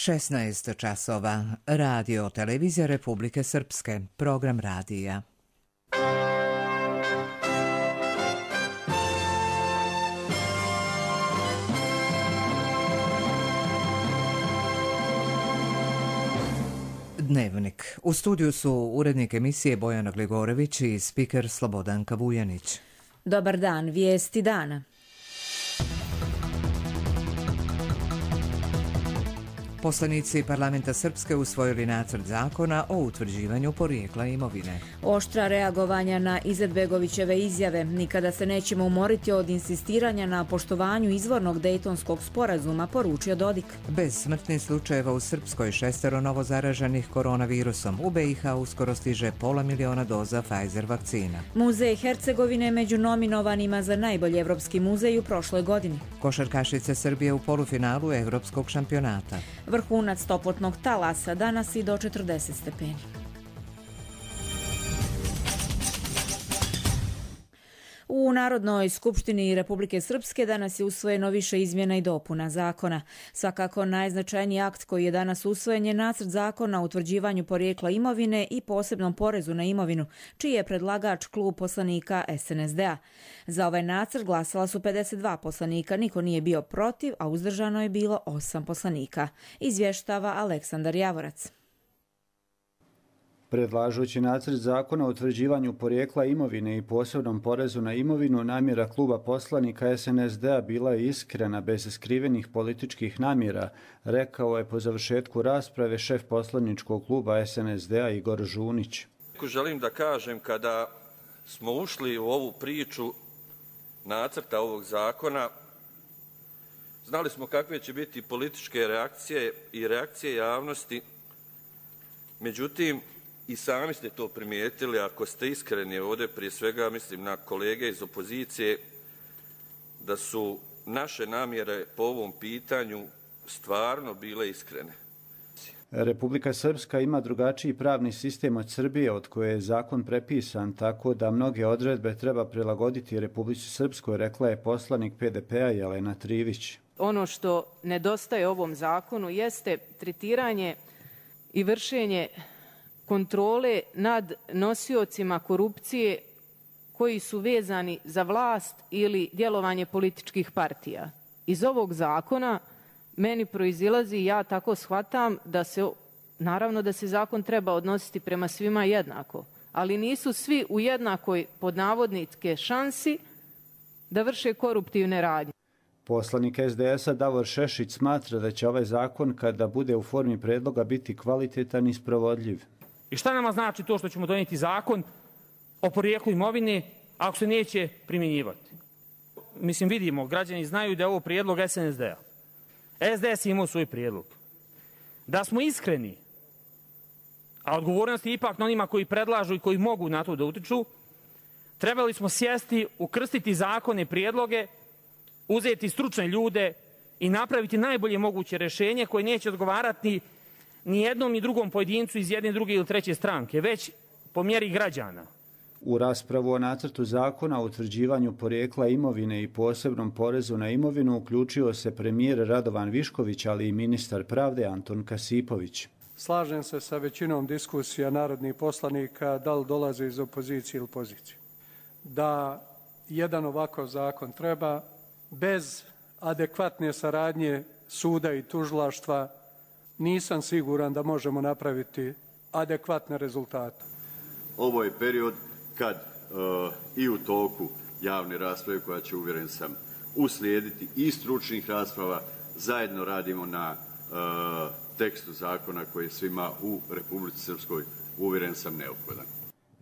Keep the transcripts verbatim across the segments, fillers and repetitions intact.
šesnaest časova. Radio Televizija Republike Srpske. Program radija. Dnevnik. U studiju su urednik emisije Bojana Gligorević i spiker Slobodanka Vujanić. Dobar dan, vijesti dana. Poslanici Parlamenta Srpske usvojili nacrt zakona o utvrđivanju porijekla imovine. Oštra reagovanja na Izetbegovićeve izjave. Nikada se nećemo umoriti od insistiranja na poštovanju izvornog Dejtonskog sporazuma, poručio Dodik. Bez smrtnih slučajeva u Srpskoj, šestero novo zaraženih koronavirusom. U B i H uskoro stiže pola miliona doza Pfizer vakcina. Muzej Hercegovine među nominovanima za najbolji evropski muzej u prošloj godini. Košarkašice Srbije u polufinalu evropskog šampionata. Vrhunac toplotnog talasa danas i do četrdeset stepeni. U Narodnoj skupštini Republike Srpske danas je usvojeno više izmjena i dopuna zakona. Svakako najznačajniji akt koji je danas usvojen je nacrt zakona o utvrđivanju porijekla imovine i posebnom porezu na imovinu, čiji je predlagač klub poslanika S N S D-a. Za ovaj nacrt glasala su pedeset dva poslanika, niko nije bio protiv, a uzdržano je bilo osam poslanika. Izvještava Aleksandar Javorac. Predlažući nacrt zakona o utvrđivanju porijekla imovine i posebnom porezu na imovinu, namjera kluba poslanika S N S D-a bila je iskrena, bez skrivenih političkih namjera, rekao je po završetku rasprave šef poslaničkog kluba S N S D-a Igor Žunić. Želim da kažem, kada smo ušli u ovu priču nacrta ovog zakona, znali smo kakve će biti političke reakcije i reakcije javnosti, međutim, i sami ste to primijetili, ako ste iskreni ovdje, prije svega mislim na kolege iz opozicije, da su naše namjere po ovom pitanju stvarno bile iskrene. Republika Srpska ima drugačiji pravni sistem od Srbije, od koje je zakon prepisan, tako da mnoge odredbe treba prilagoditi Republici Srpskoj, rekla je poslanik P D P-a Jelena Trivić. Ono što nedostaje ovom zakonu jeste tretiranje i vršenje kontrole nad nosiocima korupcije koji su vezani za vlast ili djelovanje političkih partija. Iz ovog zakona meni proizilazi, ja tako shvatam, da se, naravno da se zakon treba odnositi prema svima jednako, ali nisu svi u jednakoj, pod navodnike, šansi da vrše koruptivne radnje. Poslanik S D S-a Davor Šešić smatra da će ovaj zakon, kada bude u formi predloga, biti kvalitetan i sprovodljiv. I šta nama znači to što ćemo donijeti zakon o porijeklu imovine ako se neće primjenjivati? Mislim, vidimo, građani znaju da je ovo prijedlog S N S D-a. S D S je imao svoj prijedlog. Da smo iskreni, a odgovornost je ipak na onima koji predlažu i koji mogu na to da utiču, trebali smo sjesti, ukrstiti zakone, prijedloge, uzeti stručne ljude i napraviti najbolje moguće rješenje koje neće odgovarati ni jednom ni drugom pojedincu iz jedne, druge ili treće stranke, već po mjeri građana. U raspravu o nacrtu zakona o utvrđivanju porijekla imovine i posebnom porezu na imovinu uključio se premijer Radovan Višković, ali i ministar pravde Anton Kasipović. Slažem se sa većinom diskusija narodnih poslanika, da li dolaze iz opozicije ili pozicije. Da jedan ovakav zakon treba, bez adekvatne saradnje suda i tužilaštva, nisam siguran da možemo napraviti adekvatne rezultate. Ovo je period kad uh, i u toku javne rasprave, koja će, uvjeren sam, uslijediti i stručnih rasprava, zajedno radimo na uh, tekstu zakona koji je svima u Republici Srpskoj, uvjeren sam, neophodan.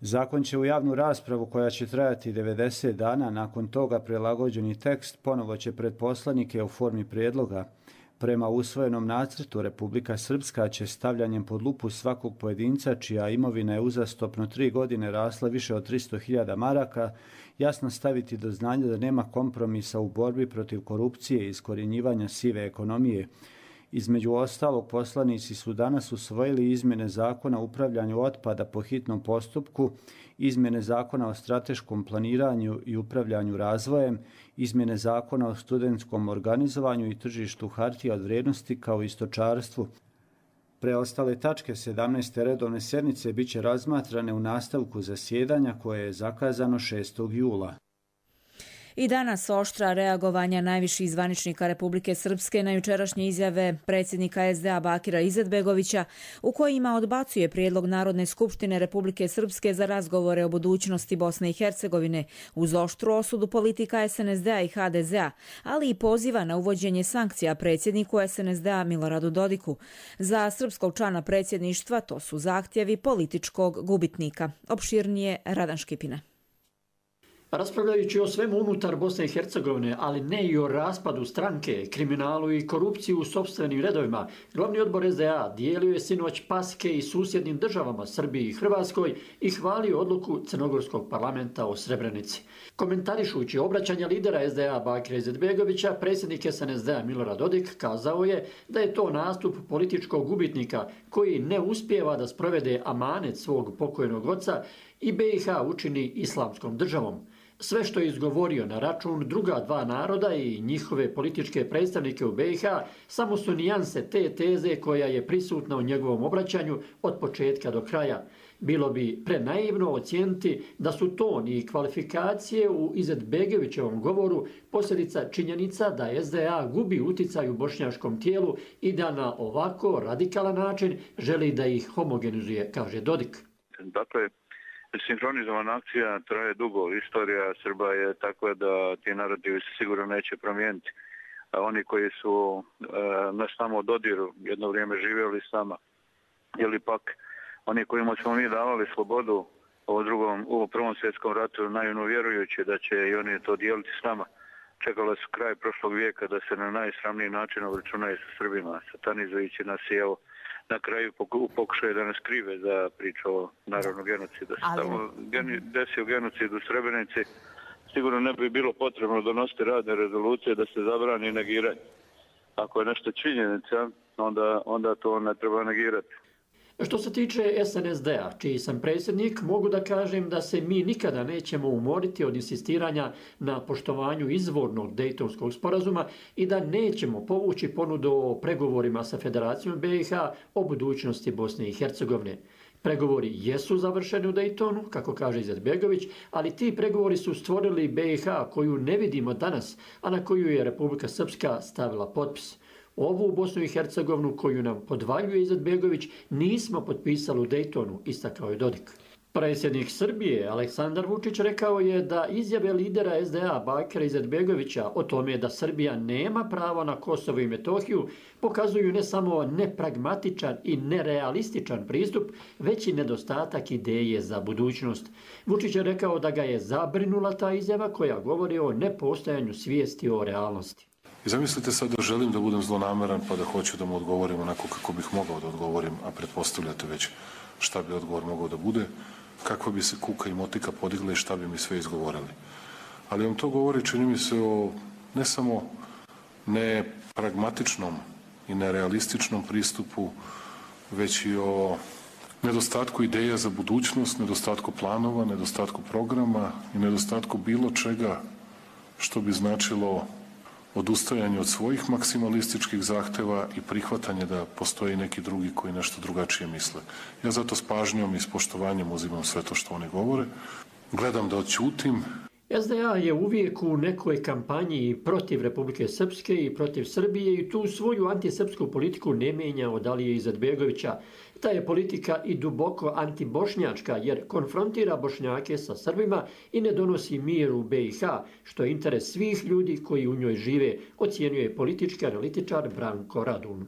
Zakon će u javnu raspravu, koja će trajati devedeset dana, nakon toga prilagođeni tekst ponovo će pred poslanike u formi prijedloga. Prema usvojenom nacrtu, Republika Srpska će stavljanjem pod lupu svakog pojedinca čija imovina je uzastopno tri godine rasla više od tristo hiljada maraka, jasno staviti do znanja da nema kompromisa u borbi protiv korupcije i iskorjenjivanja sive ekonomije. Između ostalog, poslanici su danas usvojili izmjene zakona o upravljanju otpada po hitnom postupku, izmjene zakona o strateškom planiranju i upravljanju razvojem, izmjene zakona o studentskom organizovanju i tržištu hartija od vrijednosti kao i stočarstvu. Preostale tačke sedamnaeste redovne sjednice bit će razmatrane u nastavku zasjedanja koje je zakazano šestog jula. I danas oštra reagovanja najviših zvaničnika Republike Srpske na jučerašnje izjave predsjednika es de a Bakira Izetbegovića u kojima odbacuje prijedlog Narodne skupštine Republike Srpske za razgovore o budućnosti Bosne i Hercegovine uz oštru osudu politika es en es de a i ha de ze a, ali i poziva na uvođenje sankcija predsjedniku es en es de a Miloradu Dodiku. Za srpskog člana predsjedništva to su zahtjevi političkog gubitnika. Opširnije Radan Škipina. Raspravljajući o svemu unutar Bosne i Hercegovine, ali ne i o raspadu stranke, kriminalu i korupciji u sopstvenim redovima, glavni odbor es de a dijelio je sinoć paske i susjednim državama Srbiji i Hrvatskoj i hvalio odluku Crnogorskog parlamenta o Srebrenici. Komentarišući obraćanja lidera es de a Bakira Izetbegovića, predsjednik es en es de a Milorad Dodik kazao je da je to nastup političkog gubitnika koji ne uspijeva da sprovede amanet svog pokojnog oca i be i ha učini islamskom državom. Sve što je izgovorio na račun druga dva naroda i njihove političke predstavnike u be i ha samo su nijanse te teze koja je prisutna u njegovom obraćanju od početka do kraja. Bilo bi prenaivno ocijeniti da su ton i kvalifikacije u Izetbegovićevom govoru posljedica činjenica da es de a gubi uticaj u bošnjačkom tijelu i da na ovako radikalan način želi da ih homogenizuje, kaže Dodik. Dakle, sinhronizovana akcija traje dugo. Istorija Srba je takva da ti narodi se sigurno neće promijeniti. A oni koji su e, nas tamo dodiru jedno vrijeme živjeli s nama, ili pak oni kojima smo mi davali slobodu u, drugom, u prvom svjetskom ratu, naivno vjerujući da će i oni to dijeliti s nama, čekala su kraj prošlog vijeka da se na najsramniji način obračunaju sa Srbima, satanizujući nas i evo na kraju pokušaju da nas krive za priču o narodnom genocidu. Da se tamo desio genocid u Srebrenici, sigurno ne bi bilo potrebno donositi radne rezolucije da se zabrani negiranje. Ako je nešto činjenica, onda, onda to ne treba negirati. Što se tiče es en es de a, čiji sam predsjednik, mogu da kažem da se mi nikada nećemo umoriti od insistiranja na poštovanju izvornog Dejtonskog sporazuma i da nećemo povući ponudu o pregovorima sa Federacijom be i ha o budućnosti Bosne i Hercegovine. Pregovori jesu završeni u Dejtonu, kako kaže Izetbegović, ali ti pregovori su stvorili be i ha koju ne vidimo danas, a na koju je Republika Srpska stavila potpis. Ovu Bosnu i Hercegovinu koju nam podvaljuje Izetbegović nismo potpisali u Dejtonu, istakao je Dodik. Predsjednik Srbije Aleksandar Vučić rekao je da izjave lidera es de a Bakira Izetbegovića o tome da Srbija nema pravo na Kosovo i Metohiju pokazuju ne samo nepragmatičan i nerealističan pristup, već i nedostatak ideje za budućnost. Vučić je rekao da ga je zabrinula ta izjava koja govori o nepostojanju svijesti o realnosti. I zamislite sad da želim da budem zlonameran pa da hoću da mu odgovorim onako kako bih mogao da odgovorim, a pretpostavljate već šta bi odgovor mogao da bude, kakva bi se kuka i motika podigla i šta bi mi sve izgovorili. Ali vam to govori, čini mi se, o ne samo nepragmatičnom i nerealističnom pristupu, već i o nedostatku ideja za budućnost, nedostatku planova, nedostatku programa i nedostatku bilo čega što bi značilo odustajanje od svojih maksimalističkih zahteva i prihvatanje da postoji neki drugi koji nešto drugačije misle. Ja zato s pažnjom i s poštovanjem uzimam sve to što oni govore. Gledam da odćutim. es de a je uvijek u nekoj kampanji protiv Republike Srpske i protiv Srbije i tu svoju antisrpsku politiku ne mijenja od Alije Izetbegovića. Ta je politika i duboko antibošnjačka jer konfrontira Bošnjake sa Srbima i ne donosi mir u be i ha, što je interes svih ljudi koji u njoj žive, ocjenjuje politički analitičar Branko Radun.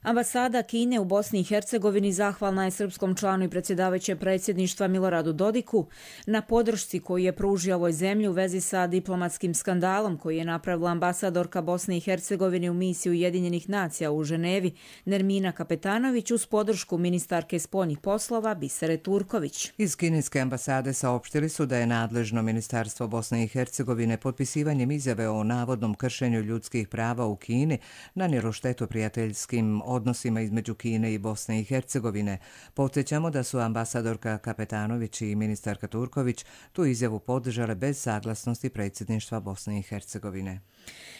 Ambasada Kine u Bosni i Hercegovini zahvalna je srpskom članu i predsjedavajućeg predsjedništva Miloradu Dodiku na podršci koju je pružio ovoj zemlji u vezi sa diplomatskim skandalom koji je napravila ambasadorka Bosne i Hercegovine u misiji Ujedinjenih nacija u Ženevi Nermina Kapetanović uz podršku ministarke spoljnih poslova Bisere Turković. Iz kineske ambasade saopštili su da je nadležno Ministarstvo Bosne i Hercegovine potpisivanjem izjave o navodnom kršenju ljudskih prava u Kini nanijelo štetu prijateljskim odnosima između Kine i Bosne i Hercegovine. Podsjećamo da su ambasadorka Kapetanović i ministarka Turković tu izjavu podržale bez saglasnosti predsjedništva Bosne i Hercegovine.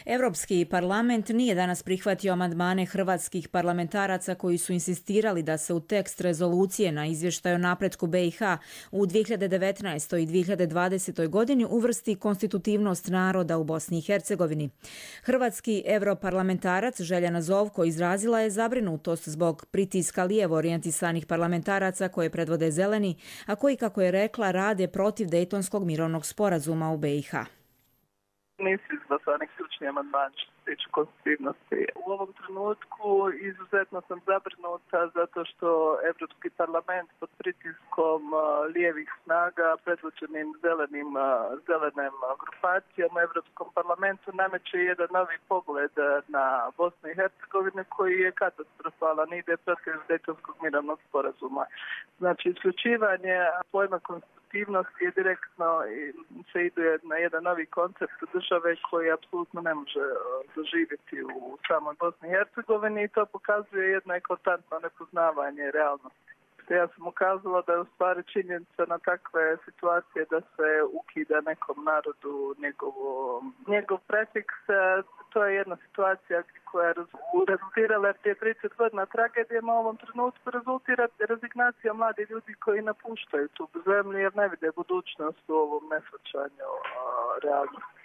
Evropski parlament nije danas prihvatio amandmane hrvatskih parlamentaraca koji su insistirali da se u tekst rezolucije na izvještaj o napretku B i H u dvije hiljade devetnaestoj i dvije hiljade dvadesetoj godini uvrsti konstitutivnost naroda u Bosni i Hercegovini. Hrvatski europarlamentarac Željana Zovko izrazila je zabrinutost zbog pritiska lijevo orijentisanih parlamentaraca koje predvode Zeleni, a koji, kako je rekla, rade protiv Dejtonskog mirovnog sporazuma u B i H. Nisu izglasani ključni amandmani što se tiče konstitutivnosti. U ovom trenutku izuzetno sam zabrinuta zato što Evropski parlament pod pritiskom lijevih snaga predvođenim zelenim, zelenim grupacijama u Evropskom parlamentu nameće jedan novi pogled na Bosnu i Hercegovinu koji je katastrofalan, ide protiv Dejtonskog mirovnog sporazuma. Znači, isključivanje pojma konstitutivnosti je direktno se ide na jedan novi koncept države koji apsolutno ne može doživjeti u samoj Bosni i Hercegovini i to pokazuje jedno eklatantno nepoznavanje realnosti. Ja sam ukazala da je u stvari činjenica na takve situacije da se ukida nekom narodu njegov, njegov prefiks. To je jedna situacija koja je rezultirala prije trideset godina tragedijama, u ovom trenutku rezultira rezignacija mladih ljudi koji napuštaju tu zemlju jer ne vide budućnost u ovom neshvaćanju realnosti.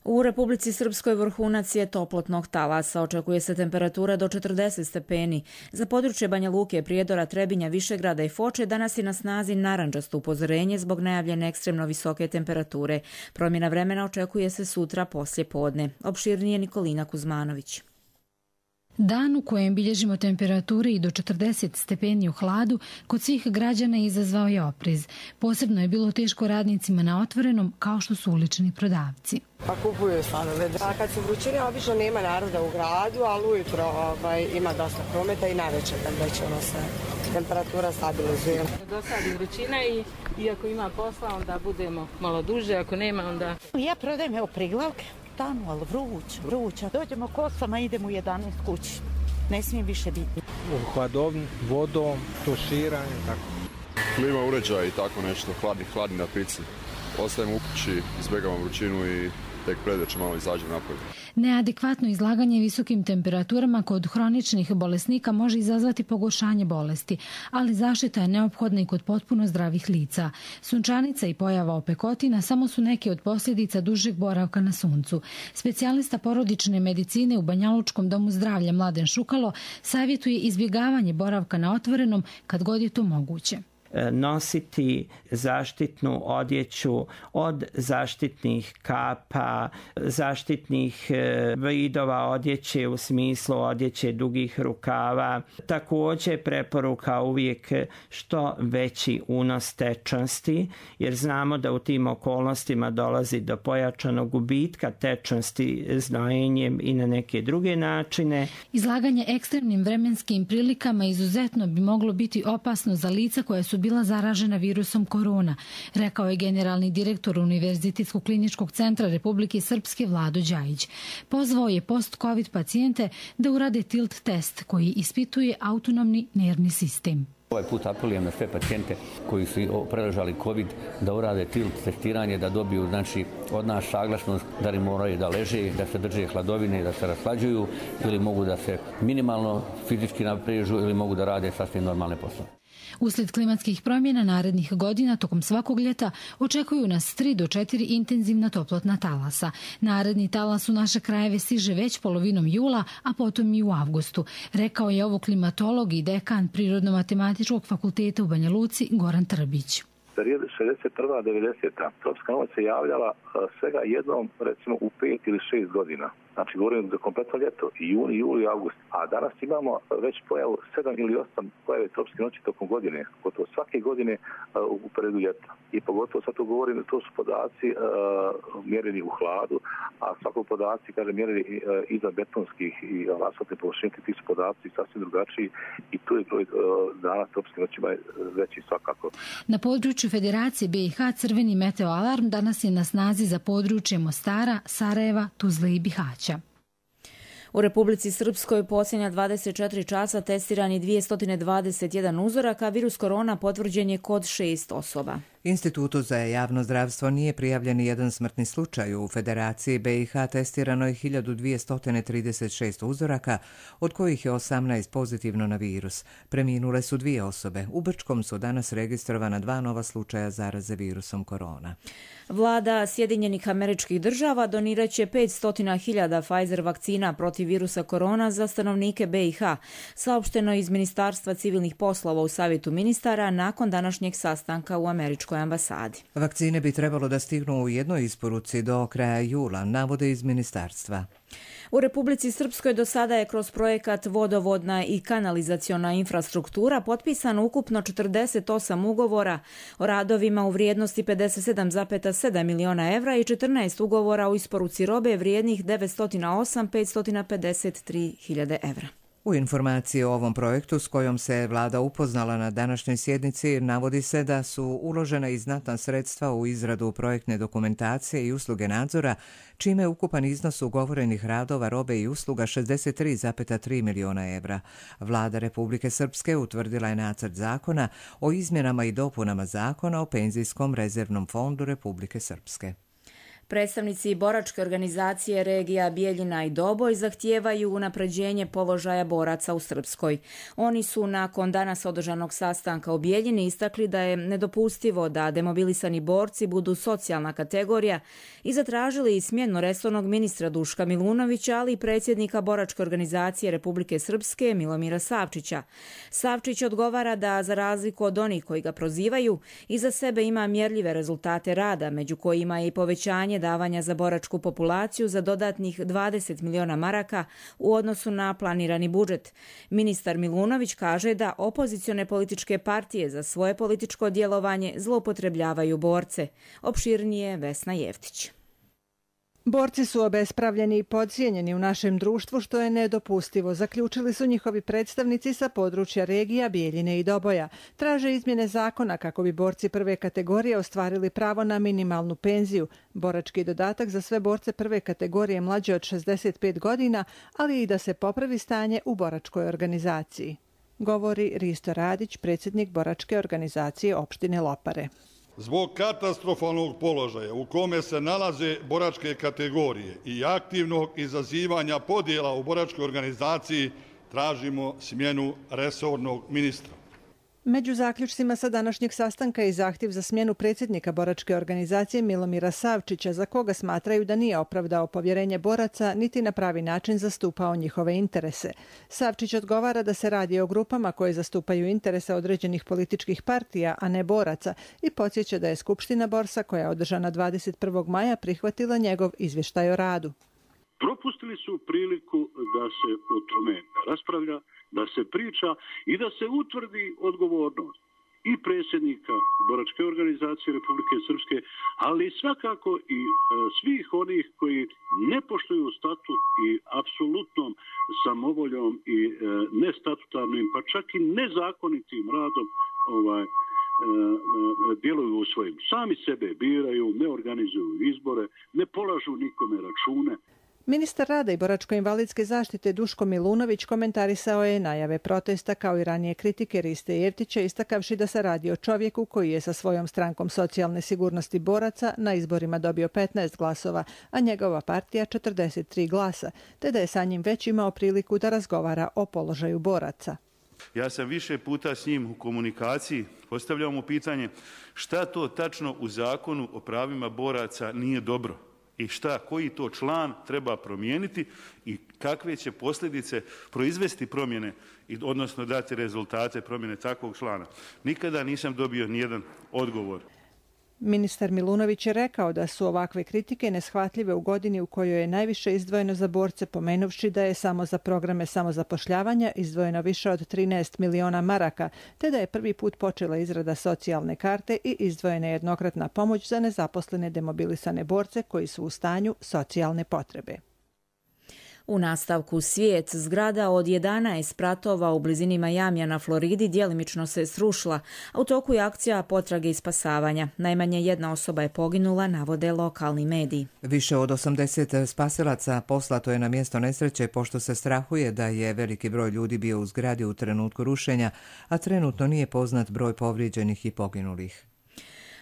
U Republici Srpskoj vrhunac je toplotnog talasa. Očekuje se temperatura do četrdeset stepeni. Za područje Banja Luke, Prijedora, Trebinja, Višegrada i Foče danas je na snazi narandžasto upozorenje zbog najavljene ekstremno visoke temperature. Promjena vremena očekuje se sutra poslje podne. Opširnije Nikolina Kuzmanović. Dan u kojem bilježimo temperature i do četrdeset stepeni u hladu kod svih građana izazvao je oprez. Posebno je bilo teško radnicima na otvorenom, kao što su ulični prodavci. Pa kupuju stanove. A kad su vrućine, obično nema naroda u gradu, ali ujutro ovaj, ima dosta prometa i najveće kad već ono se temperatura stabilizuje. Dosadi vrućina i iako ima posla, onda budemo malo duže, ako nema, onda... Ja prodajem evo priglavke. Tamo, ali vruć, vruća. Dođemo kosama, idemo u jedanaest kući. Ne smije više biti. U hladovni, vodom, tuširanje, tako. Klima uređaj i tako nešto, hladni, hladni na pici. Ostajemo u kući, izbjegavamo vrućinu i tek predveče malo izađemo napolje. Neadekvatno izlaganje visokim temperaturama kod hroničnih bolesnika može izazvati pogoršanje bolesti, ali zaštita je neophodna i kod potpuno zdravih lica. Sunčanica i pojava opekotina samo su neke od posljedica dužeg boravka na suncu. Specijalista porodične medicine u Banjalučkom domu zdravlja Mladen Šukalo savjetuje izbjegavanje boravka na otvorenom kad god je to moguće. Nositi zaštitnu odjeću od zaštitnih kapa, zaštitnih vidova odjeće u smislu odjeće dugih rukava. Također preporuka uvijek što veći unos tečnosti, jer znamo da u tim okolnostima dolazi do pojačanog gubitka tečnosti znojenjem i na neke druge načine. Izlaganje ekstremnim vremenskim prilikama izuzetno bi moglo biti opasno za lica koja su bila zaražena virusom korona, rekao je generalni direktor Univerzitetskog kliničkog centra Republike Srpske Vlado Đajić. Pozvao je post-covid pacijente da urade tilt test koji ispituje autonomni nervni sistem. Ovaj put apelujem na sve pacijente koji su preležali COVID da urade tilt testiranje, da dobiju znači, od nas saglasnost da li moraju da leže, da se drže hladovine, da se raslađuju ili mogu da se minimalno fizički naprežu ili mogu da rade sasvim normalne poslove. Uslijed klimatskih promjena narednih godina tokom svakog ljeta očekuju nas tri do četiri intenzivna toplotna talasa. Naredni talas u naše krajeve stiže već polovinom jula, a potom i u avgustu, rekao je ovo klimatolog i dekan Prirodno-matematičkog fakulteta u Banja Luci Goran Trbić. Period šezdeset prva devedeseta tropska noć se javljala svega jednom, recimo u pet ili šest godina. Znači, govorim za kompletno ljeto, i juni, juli i august. A danas imamo već pojavu sedam ili osam pojave tropske noći tokom godine, gotovo svake godine u periodu ljeta. I pogotovo sad to govorim, to su podaci uh, mjereni u hladu, a svako podaci, kaže, mjereni uh, iza betonskih i asfaltne površine, ti su podaci sasvim drugačiji i tu je broj uh, dana tropske noćima veći svakako. Na području Federacije B i H crveni meteo alarm danas je na snazi za područje Mostara, Sarajeva, Tuzle i Bihaća. U Republici Srpskoj posljednja dvadeset četiri časa testiran je dvjesto dvadeset jedan uzorak, a virus korona potvrđen je kod šest osoba. Institutu za javno zdravstvo nije prijavljen jedan smrtni slučaj. U Federaciji B i H testirano je hiljadu dvjesto trideset šest uzoraka, od kojih je osamnaest pozitivno na virus. Preminule su dvije osobe. U Brčkom su danas registrovana dva nova slučaja zaraze virusom korona. Vlada Sjedinjenih Američkih Država donirat će petsto hiljada Pfizer vakcina protiv virusa korona za stanovnike B i H, saopšteno iz Ministarstva civilnih poslova u Savjetu ministara nakon današnjeg sastanka u Američkoj ambasadi. Vakcine bi trebalo da stignu u jednoj isporuci do kraja jula, navode iz ministarstva. U Republici Srpskoj do sada je kroz projekat Vodovodna i kanalizaciona infrastruktura potpisano ukupno četrdeset osam ugovora o radovima u vrijednosti pedeset sedam zarez sedam miliona evra i četrnaest ugovora o isporuci robe vrijednih devetsto osam hiljada petsto pedeset tri hiljade evra. U informaciji o ovom projektu s kojom se vlada upoznala na današnjoj sjednici navodi se da su uložena i znatna sredstva u izradu projektne dokumentacije i usluge nadzora, čime je ukupan iznos ugovorenih radova, robe i usluga šezdeset tri zarez tri miliona evra. Vlada Republike Srpske utvrdila je nacrt zakona o izmjenama i dopunama zakona o penzijskom rezervnom fondu Republike Srpske. Predstavnici boračke organizacije regija Bijeljina i Doboj zahtijevaju unapređenje položaja boraca u Srpskoj. Oni su nakon danas održanog sastanka u Bijeljini istakli da je nedopustivo da demobilisani borci budu socijalna kategorija i zatražili smjenu resornog ministra Duška Milunovića, ali i predsjednika boračke organizacije Republike Srpske Milomira Savčića. Savčić odgovara da, za razliku od onih koji ga prozivaju, iza sebe ima mjerljive rezultate rada, među kojima je i povećanje davanja za boračku populaciju za dodatnih dvadeset miliona maraka u odnosu na planirani budžet. Ministar Milunović kaže da opozicione političke partije za svoje političko djelovanje zloupotrebljavaju borce. Opširnije Vesna Jeftić. Borci su obespravljeni i podcijenjeni u našem društvu, što je nedopustivo, zaključili su njihovi predstavnici sa područja regija Bijeljine i Doboja. Traže izmjene zakona kako bi borci prve kategorije ostvarili pravo na minimalnu penziju, borački dodatak za sve borce prve kategorije mlađe od šezdeset pet godina, ali i da se popravi stanje u boračkoj organizaciji. Govori Risto Radić, predsjednik boračke organizacije opštine Lopare. Zbog katastrofalnog položaja u kome se nalaze boračke kategorije i aktivnog izazivanja podjela u boračkoj organizaciji tražimo smjenu resornog ministra. Među zaključcima sa današnjeg sastanka je zahtjev za smjenu predsjednika boračke organizacije Milomira Savčića, za koga smatraju da nije opravdao povjerenje boraca niti na pravi način zastupao njihove interese. Savčić odgovara da se radi o grupama koje zastupaju interese određenih političkih partija, a ne boraca, i podsjeća da je Skupština Borsa, koja je održana dvadeset prvog maja, prihvatila njegov izvještaj o radu. Propustili su priliku da se o tome raspravlja, da se priča i da se utvrdi odgovornost i predsjednika boračke organizacije Republike Srpske, ali svakako i e, svih onih koji ne poštuju statut i apsolutnom samovoljom i e, nestatutarnim, pa čak i nezakonitim radom ovaj, e, djeluju u svojim. Sami sebe biraju, ne organizuju izbore, ne polažu nikome račune. Ministar rada i boračko-invalidske zaštite Duško Milunović komentarisao je najave protesta kao i ranije kritike Riste Jeftića, istakavši da se radi o čovjeku koji je sa svojom strankom socijalne sigurnosti boraca na izborima dobio petnaest glasova, a njegova partija četrdeset tri glasa, te da je sa njim već imao priliku da razgovara o položaju boraca. Ja sam više puta s njim u komunikaciji, postavljao mu pitanje šta to tačno u zakonu o pravima boraca nije dobro. I šta, koji to član treba promijeniti i kakve će posljedice proizvesti promjene, odnosno dati rezultate promjene takvog člana. Nikada nisam dobio nijedan odgovor. Ministar Milunović je rekao da su ovakve kritike neshvatljive u godini u kojoj je najviše izdvojeno za borce, pomenuvši da je samo za programe samozapošljavanja izdvojeno više od trinaest miliona maraka, te da je prvi put počela izrada socijalne karte i izdvojena jednokratna pomoć za nezaposlene demobilisane borce koji su u stanju socijalne potrebe. U nastavku svijet, zgrada od jedanaest spratova u blizini Majamija na Floridi djelimično se srušila, a u toku je akcija potrage i spasavanja. Najmanje jedna osoba je poginula, navode lokalni mediji. Više od osamdeset spasilaca poslato je na mjesto nesreće, pošto se strahuje da je veliki broj ljudi bio u zgradi u trenutku rušenja, a trenutno nije poznat broj povrijeđenih i poginulih.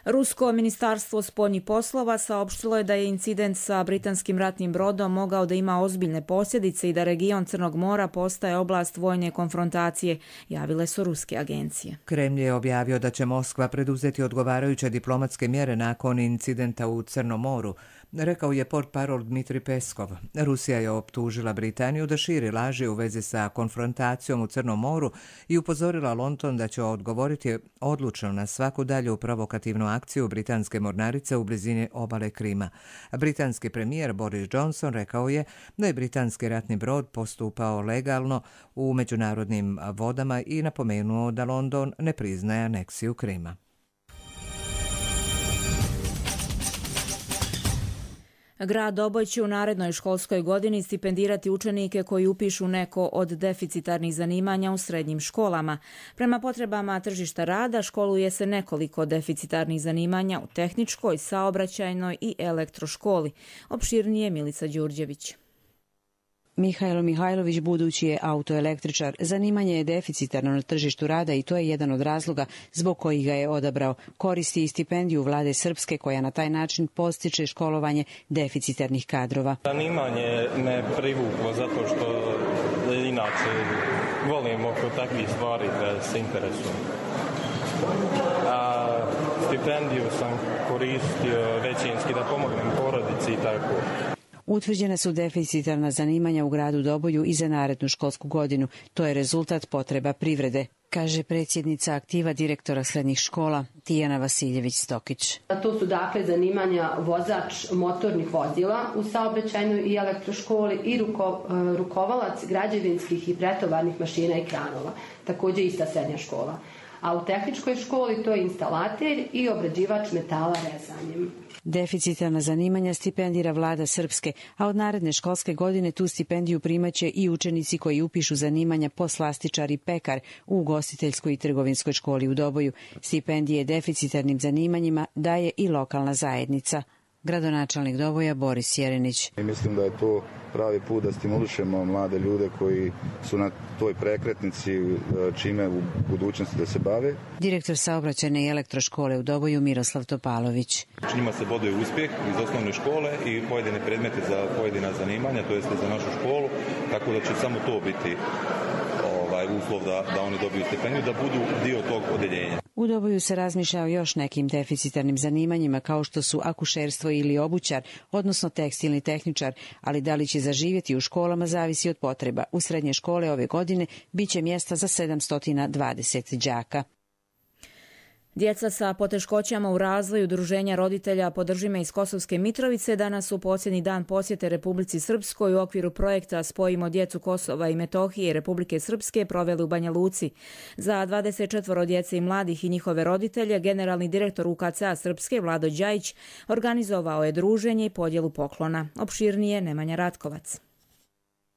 Rusko ministarstvo spoljnih poslova saopštilo je da je incident sa britanskim ratnim brodom mogao da ima ozbiljne posljedice i da region Crnog mora postaje oblast vojne konfrontacije, javile su ruske agencije. Kremlj je objavio da će Moskva preduzeti odgovarajuće diplomatske mjere nakon incidenta u Crnom moru, rekao je portparol Dmitri Peskov. Rusija je optužila Britaniju da širi laži u vezi sa konfrontacijom u Crnom moru i upozorila London da će odgovoriti odlučno na svaku dalju provokativnu akciju britanske mornarice u blizini obale Krima. Britanski premijer Boris Johnson rekao je da je britanski ratni brod postupao legalno u međunarodnim vodama i napomenuo da London ne priznaje aneksiju Krima. Grad Doboj će u narednoj školskoj godini stipendirati učenike koji upišu neko od deficitarnih zanimanja u srednjim školama. Prema potrebama tržišta rada školuje se nekoliko deficitarnih zanimanja u tehničkoj, saobraćajnoj i elektroškoli. Opširnije Milica Đurđević. Mihajlo Mihajlović budući je autoelektričar. Zanimanje je deficitarno na tržištu rada i to je jedan od razloga zbog kojih ga je odabrao. Koristi i stipendiju vlade Srpske koja na taj način postiče školovanje deficitarnih kadrova. Zanimanje me privuklo zato što inače volim oko takvih stvari da se interesujem. A stipendiju sam koristio većinski da pomognem porodici i tako. Utvrđena su deficitarna zanimanja u gradu Doboju i za narednu školsku godinu. To je rezultat potreba privrede, kaže predsjednica aktiva direktora srednjih škola Tijana Vasiljević-Stokić. To su dakle zanimanja vozač motornih vozila u saobraćajnoj i elektroškoli i ruko, rukovalac građevinskih i pretovarnih mašina i kranova, također ista srednja škola. A u tehničkoj školi to je instalater i obrađivač metala rezanjem. Deficitarna zanimanja stipendira vlada Srpske, a od naredne školske godine tu stipendiju primaće i učenici koji upišu zanimanja poslastičar i pekar u ugostiteljskoj i trgovinskoj školi u Doboju. Stipendije deficitarnim zanimanjima daje i lokalna zajednica. Gradonačelnik Doboja Boris Jerenić. Mislim da je to pravi put da stimulišemo mlade ljude koji su na toj prekretnici čime u budućnosti da se bave. Direktor saobraćajne i elektroškole u Doboju Miroslav Topalović. Njima se boduje uspjeh iz osnovne škole i pojedine predmete za pojedina zanimanja, to jest za našu školu, tako da će samo to biti ovaj, uslov da, da oni dobiju stipendiju, da budu dio tog odeljenja. U Doboju se razmišlja o još nekim deficitarnim zanimanjima kao što su akušerstvo ili obućar, odnosno tekstilni tehničar, ali da li će zaživjeti u školama zavisi od potreba. U srednje škole ove godine biće mjesta za sedamsto dvadeset đaka. Djeca sa poteškoćama u razvoju Udruženja roditelja Podrži me iz Kosovske Mitrovice danas su posljednji dan posjete Republici Srpskoj u okviru projekta Spojimo djecu Kosova i Metohije i Republike Srpske proveli u Banja Luci. Za dvadeset četvoro djece i mladih i njihove roditelje generalni direktor U K C-a Srpske Vlado Đajić organizovao je druženje i podjelu poklona. Opširnije Nemanja Ratkovac.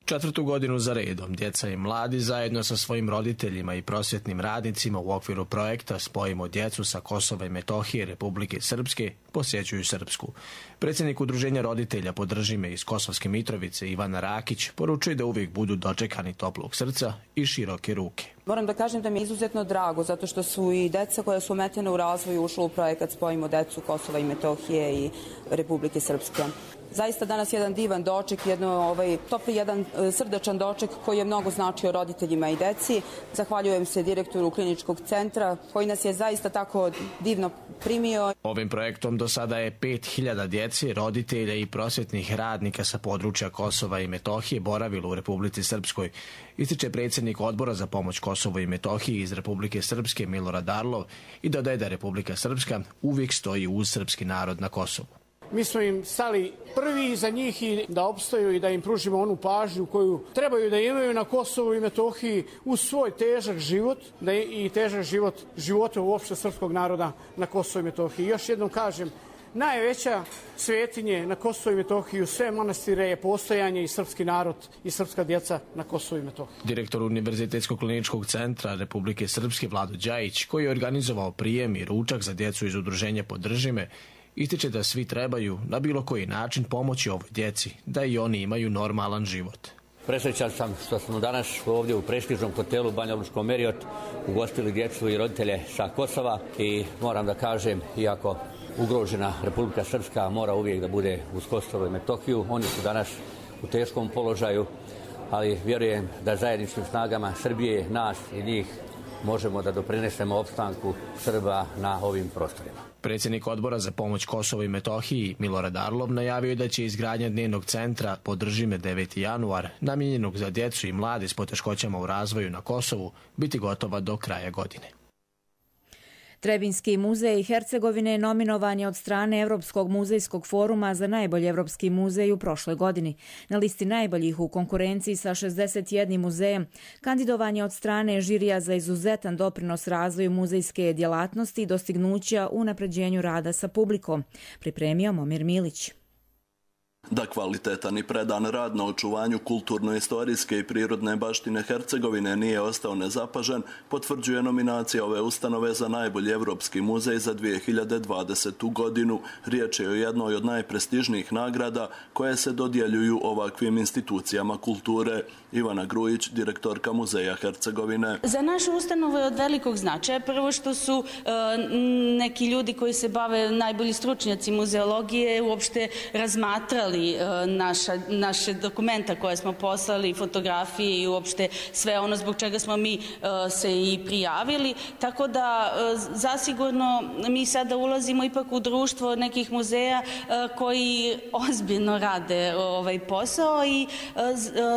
Četvrtu godinu za redom djeca i mladi zajedno sa svojim roditeljima i prosvjetnim radnicima u okviru projekta Spojimo djecu sa Kosova i Metohije Republike Srpske posjećuju Srpsku. Predsjednik Udruženja roditelja Podrži me iz Kosovske Mitrovice Ivana Rakić poručuje da uvijek budu dočekani toplog srca i široke ruke. Moram da kažem da mi je izuzetno drago zato što su i deca koja su ometena u razvoju ušla u projekat Spojimo djecu Kosova i Metohije i Republike Srpske. Zaista danas jedan divan doček, jedno, ovaj, topli jedan srdačan doček koji je mnogo značio roditeljima i deci. Zahvaljujem se direktoru kliničkog centra koji nas je zaista tako divno primio. Ovim projektom do sada je pet hiljada djece, roditelja i prosvjetnih radnika sa područja Kosova i Metohije boravilo u Republici Srpskoj. Ističe predsjednik odbora za pomoć Kosovu i Metohiji iz Republike Srpske Milorad Arlov i dodaje da Republika Srpska uvijek stoji uz srpski narod na Kosovu. Mi smo im stali prvi za njih i da opstaju i da im pružimo onu pažnju koju trebaju da imaju na Kosovu i Metohiji uz svoj težak život da i težak život života uopšte srpskog naroda na Kosovu i Metohiji. Još jednom kažem, najveća svetinje na Kosovu i Metohiji u sve manastire je postojanje i srpski narod i srpska djeca na Kosovu i Metohiji. Direktor Univerzitetskog kliničkog centra Republike Srpske Vlado Đajić, koji je organizovao prijem i ručak za djecu iz udruženja Podrži me, ističe da svi trebaju na bilo koji način pomoći ovoj djeci, da i oni imaju normalan život. Presrećan sam što smo danas ovdje u prestižnom hotelu Banja Lučko Meriot ugostili djecu i roditelje sa Kosova i moram da kažem, iako ugrožena Republika Srpska mora uvijek da bude uz Kosovo i Metohiju, oni su danas u teškom položaju, ali vjerujem da zajedničkim snagama Srbije, nas i njih možemo da doprinesemo opstanku Srba na ovim prostorima. Predsjednik Odbora za pomoć Kosovo i Metohiji Milorad Arlov najavio je da će izgradnja dnevnog centra Podrži me deveti januar, namijenjenog za djecu i mlade s poteškoćama u razvoju na Kosovu, biti gotova do kraja godine. Trebinski muzej Hercegovine nominovan je od strane Evropskog muzejskog foruma za najbolji evropski muzej u prošloj godini. Na listi najboljih u konkurenciji sa šezdeset jednim muzejem kandidovan je od strane žirija za izuzetan doprinos razvoju muzejske djelatnosti i dostignuća u unapređenju rada sa publikom. Pripremio Momir Milić. Da kvalitetan i predan rad na očuvanju kulturno-istorijske i prirodne baštine Hercegovine nije ostao nezapažen, potvrđuje nominacija ove ustanove za najbolji evropski muzej za dvije hiljade dvadesetu. godinu. Riječ je o jednoj od najprestižnijih nagrada koje se dodjeljuju ovakvim institucijama kulture. Ivana Grujić, direktorka Muzeja Hercegovine. Za našu ustanovu je od velikog značaja. Prvo što su e, neki ljudi koji se bave, najbolji stručnjaci muzeologije, uopšte razmatrali Naša, naše dokumenta koje smo poslali, fotografije i uopšte sve ono zbog čega smo mi uh, se i prijavili. Tako da uh, zasigurno mi sada ulazimo ipak u društvo nekih muzeja uh, koji ozbiljno rade ovaj posao i uh,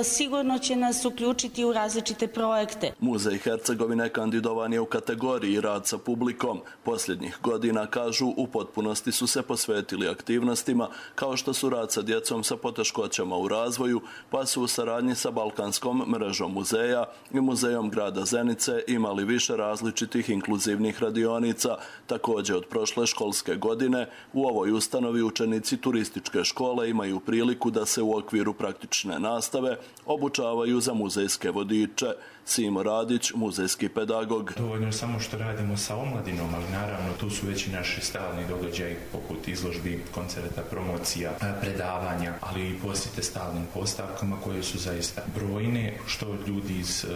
sigurno će nas uključiti u različite projekte. Muzej Hercegovine kandidovan je u kategoriji rad sa publikom. Posljednjih godina, kažu, u potpunosti su se posvetili aktivnostima kao što su rad sa djecom sa poteškoćama u razvoju, pa su u saradnji sa Balkanskom mrežom muzeja i Muzejom grada Zenice imali više različitih inkluzivnih radionica. Također od prošle školske godine u ovoj ustanovi učenici turističke škole imaju priliku da se u okviru praktične nastave obučavaju za muzejske vodiče. Simo Radić, muzejski pedagog. Dovoljno je samo što radimo sa omladinom, ali naravno tu su već i naši stalni događaji poput izložbi, koncerta, promocija, predavanja, ali i posjete stalnim postavkama koje su zaista brojne, što ljudi iz e,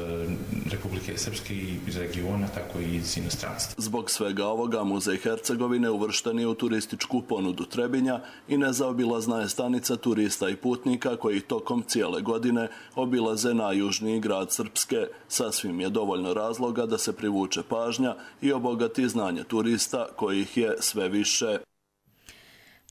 Republike Srpske i iz regiona, tako i iz inostranstva. Zbog svega ovoga Muzej Hercegovine uvršten je u turističku ponudu Trebinja i nezaobilazna je stanica turista i putnika koji tokom cijele godine obilaze najjužniji grad Srpske. Sasvim je dovoljno razloga da se privuče pažnja i obogati znanje turista kojih je sve više.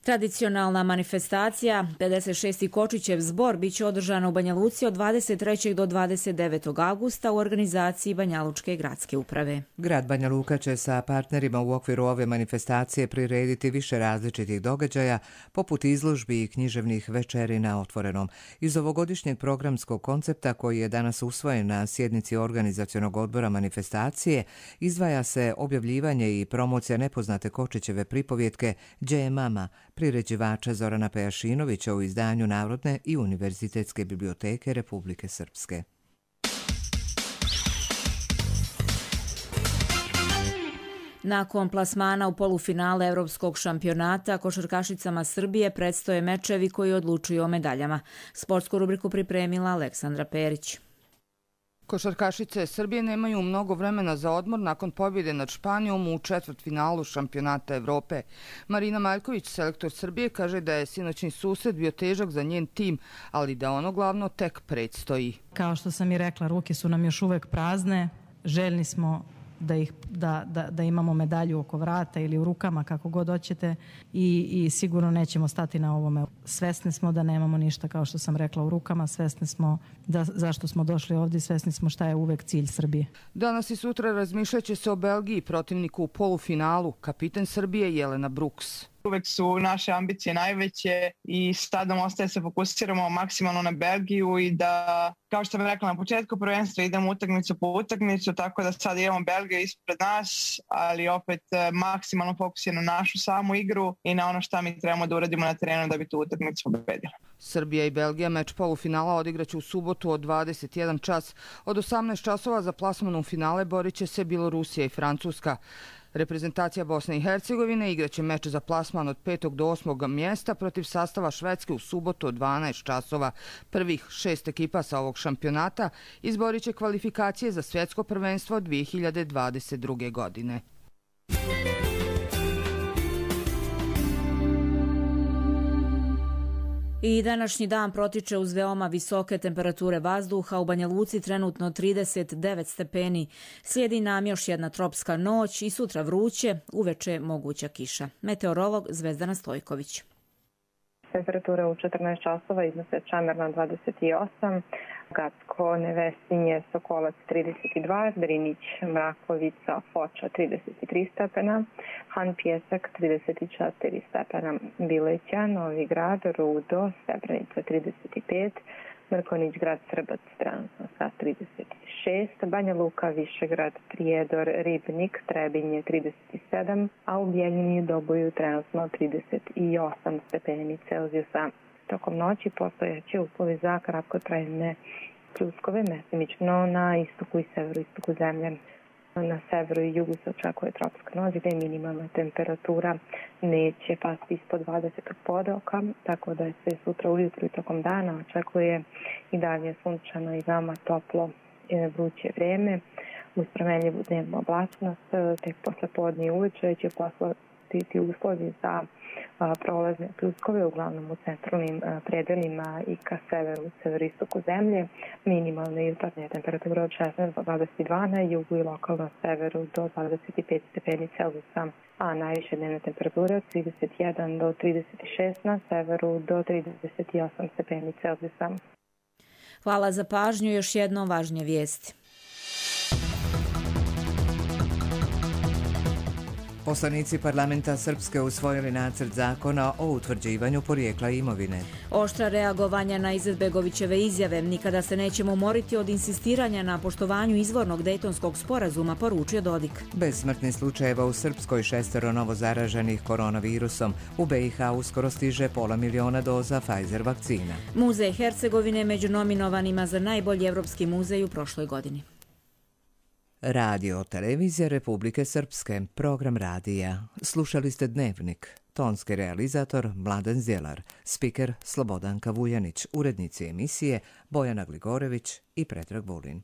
Tradicionalna manifestacija pedeset šesti Kočićev zbor biće održana u Banja Luci od dvadeset trećeg do dvadeset devetog avgusta u organizaciji Banjalučke gradske uprave. Grad Banja Luka će sa partnerima u okviru ove manifestacije prirediti više različitih događaja, poput izložbi i književnih večeri na otvorenom. Iz ovogodišnjeg programskog koncepta koji je danas usvojen na sjednici organizacionog odbora manifestacije, izdvaja se objavljivanje i promocija nepoznate Kočićeve pripovjetke Đe je mama, priređivača Zorana Pejašinovića u izdanju Narodne i univerzitetske biblioteke Republike Srpske. Nakon plasmana u polufinale Evropskog šampionata, košarkašicama Srbije predstoje mečevi koji odlučuju o medaljama. Sportsku rubriku pripremila Aleksandra Perić. Košarkašice Srbije nemaju mnogo vremena za odmor nakon pobjede nad Španijom u četvrtfinalu šampionata Evrope. Marina Maljković, selektor Srbije, kaže da je sinoćni susret bio težak za njen tim, ali da ono glavno tek predstoji. Kao što sam i rekla, ruke su nam još uvek prazne, željni smo da, ih, da, da, da imamo medalju oko vrata ili u rukama, kako god hoćete, i, i sigurno nećemo stati na ovome. Svesni smo da nemamo ništa, kao što sam rekla, u rukama, svesni smo da, zašto smo došli ovdje, svesni smo šta je uvek cilj Srbije. Danas i sutra razmišljaće se o Belgiji, protivniku u polufinalu, kapiten Srbije Jelena Brooks. Uvek su naše ambicije najveće i sad nam ostaje se fokusiramo maksimalno na Belgiju i da, kao što sam rekla na početku prvenstva, idemo utakmicu po utakmicu, tako da sad imamo Belgiju ispred nas, ali opet maksimalno fokus je na našu samu igru i na ono šta mi trebamo da uradimo na terenu da bi tu utakmicu pobedili. Srbija i Belgija meč polufinala odigraće u subotu od dvadeset jedan čas. Od osamnaest časova za plasman u finale borit će se Bjelorusija i Francuska. Reprezentacija Bosne i Hercegovine igraće meč za plasman od petog do osmog mjesta protiv sastava Švedske u subotu od dvanaest časova. Prvih šest ekipa sa ovog šampionata izborit će kvalifikacije za svjetsko prvenstvo dvije hiljade dvadeset druge. godine. I današnji dan protiče uz veoma visoke temperature vazduha. U Banja Luci trenutno trideset devet stepeni. Slijedi nam još jedna tropska noć i sutra vruće, uveče moguća kiša. Meteorolog Zvezdana Stojković. Temperatura u četrnaest časova iznose Čamerna dvadeset osam, Gacko, Nevesinje, Sokolac trideset dva, Drinić, Mrakovica, Foča trideset tri stepena, Han Pjesak trideset četiri stepena, Bileća, Novi Grad, Rudo, Srebrenica trideset pet, Mrkonić, Grad Srbac, trenutno sa trideset šest, Banja Luka, Višegrad, Prijedor, Ribnik, Trebinje trideset sedam, a u Bijeljini i Doboju trenutno trideset osam stepeni Celzijusa. Tokom noći postojeće uslovi za kratkotrajne pljuskove, mesimično na istoku i severoistoku zemlje. Na severu i jugu se očekuje tropska noć gdje minimalna temperatura neće pasti ispod dvadeset podoka, tako da je sve sutra ujutru i tokom dana očekuje i dalje sunčano i veoma toplo vruće vrijeme. Uz promenljivu dnevnu oblačnost, tek posle podne i uveče će poslati uslovi za prolazne pljuskove, uglavnom u centralnim predelima i ka severu, severoistoku zemlje. Minimalne jutarnje temperature od šesnaest do dvadeset dva na jugu i lokalno severu do dvadeset pet stepeni Celzijusa, a najviše dnevne temperature od trideset jedan do trideset šest na severu do trideset osam stepeni Celzijusa. Hvala za pažnju. Još jednom važnije vijesti. Poslanici parlamenta Srpske usvojili nacrt zakona o utvrđivanju porijekla imovine. Oštra reagovanja na Izetbegovićeve izjave. Nikada se nećemo umoriti od insistiranja na poštovanju izvornog Dejtonskog sporazuma, poručio Dodik. Bez smrtnih slučajeva u Srpskoj, šestero novo zaraženih koronavirusom. U B i H uskoro stiže pola miliona doza Pfizer vakcina. Muzej Hercegovine među nominovanima za najbolji evropski muzej u prošloj godini. Radio Televizija Republike Srpske, program radija. Slušali ste Dnevnik. Tonski realizator Mladen Zjelar, spiker Slobodanka Vujanić, urednici emisije Bojana Gligorević i Predrag Vulin.